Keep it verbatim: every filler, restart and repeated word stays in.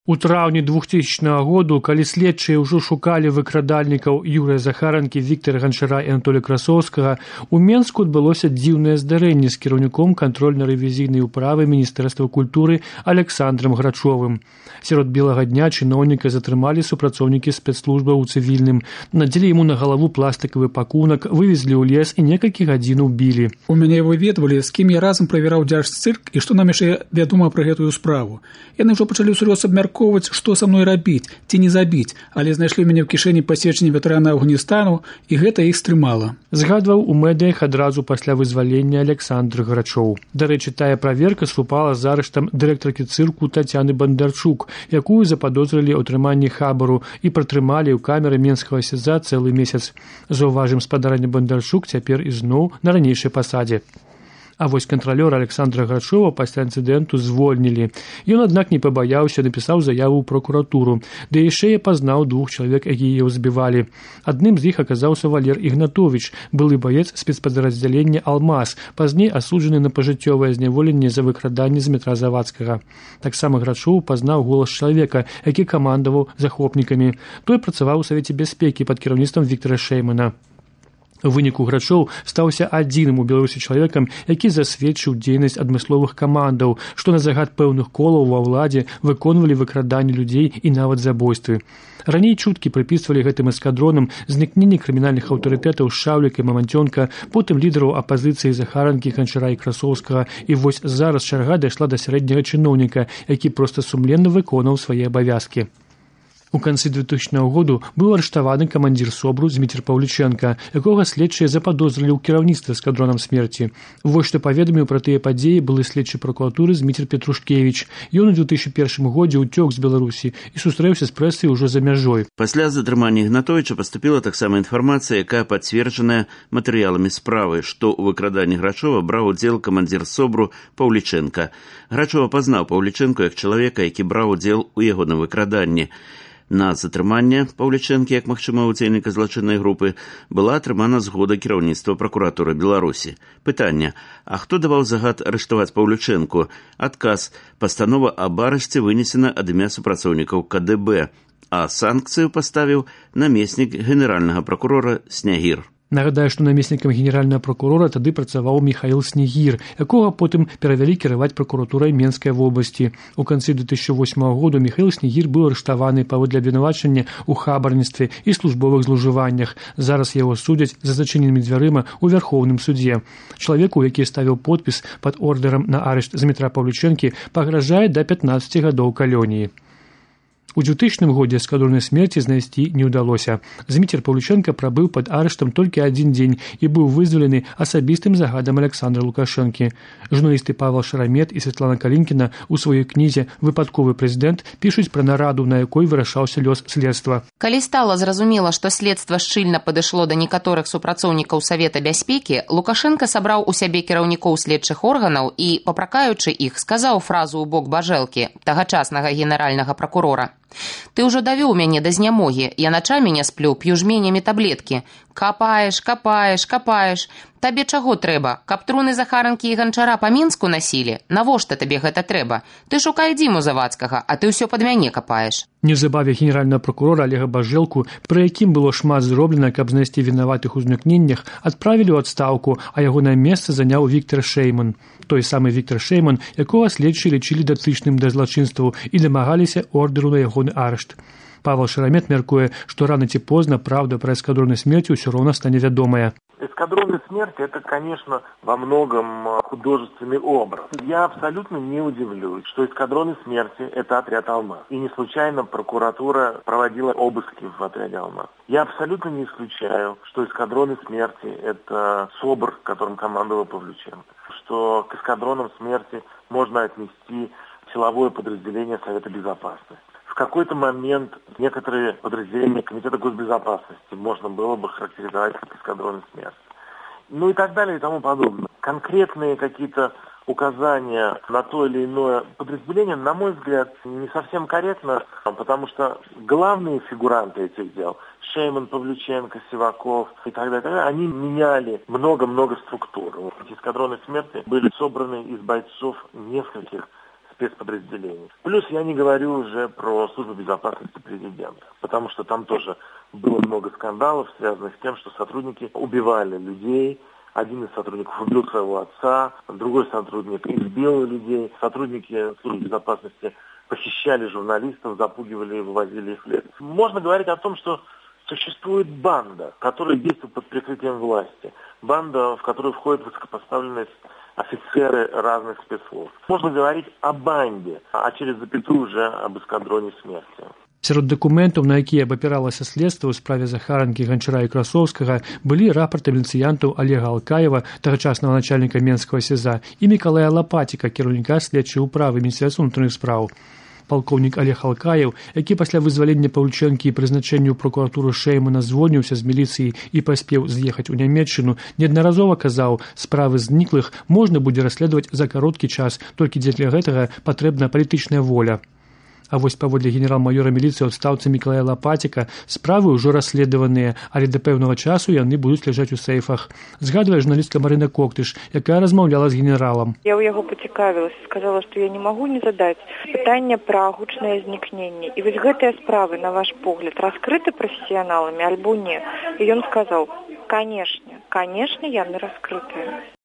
У траўні двухтысячнага году, калі следчыя ўжо шукалі выкрадальнікаў Юрыя Захаранкі, Віктара Ганчара і Анатолія Красоўскага, у Менску адбылося дзіўнае здарэнне з кіраўніком кантрольна-рэвізійнай управы Міністэрства культуры Александрам Грачовым. Сярод белага дня чыноўніка затрымалі супрацоўнікі спецслужбаў у цывільным, надзелі яму на галаву пластыкавы пакунак, вывезлі ў лес і некалькі гадзін убілі. У мяне выведвалі, з кім я разам правяраў дзяржцырк і што нам яшчэ вядома пра гэтую справу. Яны ўжо пачалі ўсур'ёз абмяркоўваць, што са мной рабіць, ці не забіць, але знайшлі мяне ў кішэні пасведчанне ветэрана Афганістану, і гэта іх стрымала. Згадваў у медыях адразу пасля вызвалення Александр Грачоў. Дарэчы, тая праверка супала з арыштам дырэктаркі цырку Тацяны Бандарчук, якую западозрылі ў атрыманні хабару і пратрымалі ў камеры менскага СІЗА цэлы месяц. Заўважым, спадарня Бандарчук цяпер ізноў на ранейшай пасадзе. А вось кантралёра Александра Грачова пасля інцыдэнту звольнілі. Ён, аднак, не пабаяўся, напісаў заяву ў прокуратуру, ды яшчэ я пазнаў двух чалавек, якія яго збівалі. Адным з іх аказаўся Валер Ігнатовіч, былы баец спецпадраздзялення «Алмаз», пазней асуджаны на пажыццёвае зняволенне за выкраданне з метра Завадскага. Таксама Грачоў пазнаў голас чалавека, які камандаваў захопнікамі. Той працаваў у Савеце бяспекі пад кіраўніцтвам Віктара Шэймана. У выніку Грачоў стаўся адзіным у Беларусі чалавекам, які засведчыў дзейнасць адмысловых камандаў, што на загад пэўных колаў ва ўладзе выконвалі выкраданне людзей і нават забойствы. Раней чуткі прыпісвалі гэтым эскадронам знікненне крымінальных аўтарытэтаў Шаўліка і Маманцёнка, потым лідараў апазіцыі Захаранкі, Ганчара і Красоўскага, і вось зараз чарга дайшла да сярэдняга чыноўніка, які проста сумленна выконаў свае абавязкі. У канцы двухтысячнага году быў арыштаваны камандзір СОБРу Зміцер Паўлічэнка, якога следчыя западозрылі ў кіраўніцтве эскадронам смерці. Вось што паведаміў пра тыя падзеі былы следчы пракуратуры Зміцер Петрушкевіч. Ён у две тысячи першым годзе ўцёк з Беларусі і сустрэўся з прэсай ужо за мяжой. Пасля затрымання Ігнатовіча паступіла таксама інфармацыя, якая пацверджаная матэрыяламі справы, што ў выкраданні Грачова браў удзел камандзір СОБРу Паўлічэнка. Грачова пазнаў Паўлічэнку як чалавека, які браў удзел у ягоным выкраданні. На затрыманне Паўлічэнкі, як магчымага ўдзельніка злачыннай групы, была атрымана згода кіраўніцтва пракуратуры Беларусі. Пытанне: а хто даваў загад арыштаваць Паўлічэнку? Адказ: пастанова аб арышце вынесена ад імя супрацоўнікаў КДБ, а санкцыю паставіў намеснік генеральнага пракурора Снягір. Нагадаю, што намеснікам генеральнага пракурора тады працаваў Міхаіл Снегір, якога потым перавялі кіраваць пракуратурай Менскай вобласці. У канцы две тысячи восьмага году Міхаіл Снегір быў арыштаваны паводле абвінавачання ў хабарніцтве і службовых злоўжываннях. Зараз яго судзяць за зачыненымі дзвярыма ў Вярхоўным судзе. Чалавеку, які ставіў подпіс пад ордэрам на арышт Змітра Паўлічэнкі, пагражае да пятнаццаці гадоў калоніі. У двухтысячным годзе эскадроны смерці знайсці не ўдалося. Зміцер Паўлічэнка прабыў пад арыштам толькі адзін дзень і быў вызвалены асабістым загадам Александра Лукашэнкі. Журналісты Павел Шарамет і Святлана Калінкіна ў сваёй кнізе «Выпадковы прэзідэнт» пішуць пра нараду, на якой вырашаўся лёс следства. Калі стала зразумела, што следства шчыльна падышло да некаторых супрацоўнікаў Савета бяспекі, Лукашэнка сабраў у сябе кіраўнікоў следчых органаў і, папракаючы іх, сказаў фразу ў бок Бажэлкі, тагачаснага генеральнага пракурора: «Ты ўжо давёў мяне да знямогі, я начамі не сплю, п'ю жменямі таблеткі. Капаеш, капаеш, капаеш. Табе чаго трэба? Каб труны Захаранкі і Ганчара па Мінску насілі? Навошта табе гэта трэба? Ты шукай Дзіму Завадскага, а ты ўсё пад мяне капаеш». Неўзабаве генеральнага пракурора Олега Бажэлку, пры якім было шмат зроблена, каб знайсці вінаватых у знікненнях, адправілі ў адстаўку, а ягонае месца заняў Віктар Шэйман. Той самы Віктар Шэйман, якога следчыя лічылі датычным да злачынстваў і дамагаліся ордэру на ягоны арышт. Павел Шарамет мяркуе, што рана ці позна правда пра эскадроны смерці ўсё роўна стане вядомая. Эскадроны смерти – это, конечно, во многом художественный образ. Я абсолютно не удивлюсь, что эскадроны смерти – это отряд «Алмаз». И не случайно прокуратура проводила обыски в отряде «Алмаз». Я абсолютно не исключаю, что эскадроны смерти – это СОБР, которым командовал Павлюченко. Что к эскадронам смерти можно отнести силовое подразделение Совета Безопасности. В какой-то момент некоторые подразделения Комитета госбезопасности можно было бы характеризовать как эскадроны смерти. Ну и так далее и тому подобное. Конкретные какие-то указания на то или иное подразделение, на мой взгляд, не совсем корректно, потому что главные фигуранты этих дел, Шейман, Павлюченко, Сиваков и так далее, так далее, они меняли много-много структур. Эти эскадроны смерти были собраны из бойцов нескольких спецподразделений. Плюс я не говорю уже про службу безопасности президента, потому что там тоже было много скандалов, связанных с тем, что сотрудники убивали людей. Один из сотрудников убил своего отца, другой сотрудник избил людей. Сотрудники службы безопасности похищали журналистов, запугивали и вывозили их в лес. Можно говорить о том, что существует банда, которая действует под прикрытием власти. Банда, в которую входят высокопоставленные офицеры разных спецслужб. Можно говорить о банде, а через запятую уже об эскадроне смерти. Сярод дакументаў, на якія абапіралася следства ў справе Захаранкі, Ганчара і Красоўскага, былі рапорты міліцыянтаў Олега Алкаева, тагачаснага начальніка Менскага СІЗА, і Мікалая Лапаціка, кіраўніка следчай управы Міністэрства ўнутраных спраў. Палкоўнік Олег Алкаев, які пасля вызвалення Паўлічэнкі і прызначэння ў прокуратуру Шэймана звольніўся з міліцыі і паспеў з'ехаць у Нямецчыну, неаднаразова казаў, справы зніклых можна будзе расследаваць за кароткі час, толькі дзеля гэтага патрэбна палітычная воля. А вось паводле генерал-майора міліцыі ў адстаўцы Мікалая Лапаціка справы ўжо расследаваныя, але да пэўнага часу яны будуць ляжаць у сейфах. Згадвае журналістка Марына Коктыш, якая размаўляла з генералам. Я ў яго пацікавілася, сказала, што я не магу не задаць пытанне пра гучнае знікненне. І вось гэтыя справы, на ваш погляд, раскрыты прафесіяналамі альбо не? І ён сказаў: «Канешне, канешне, яны раскрытыя».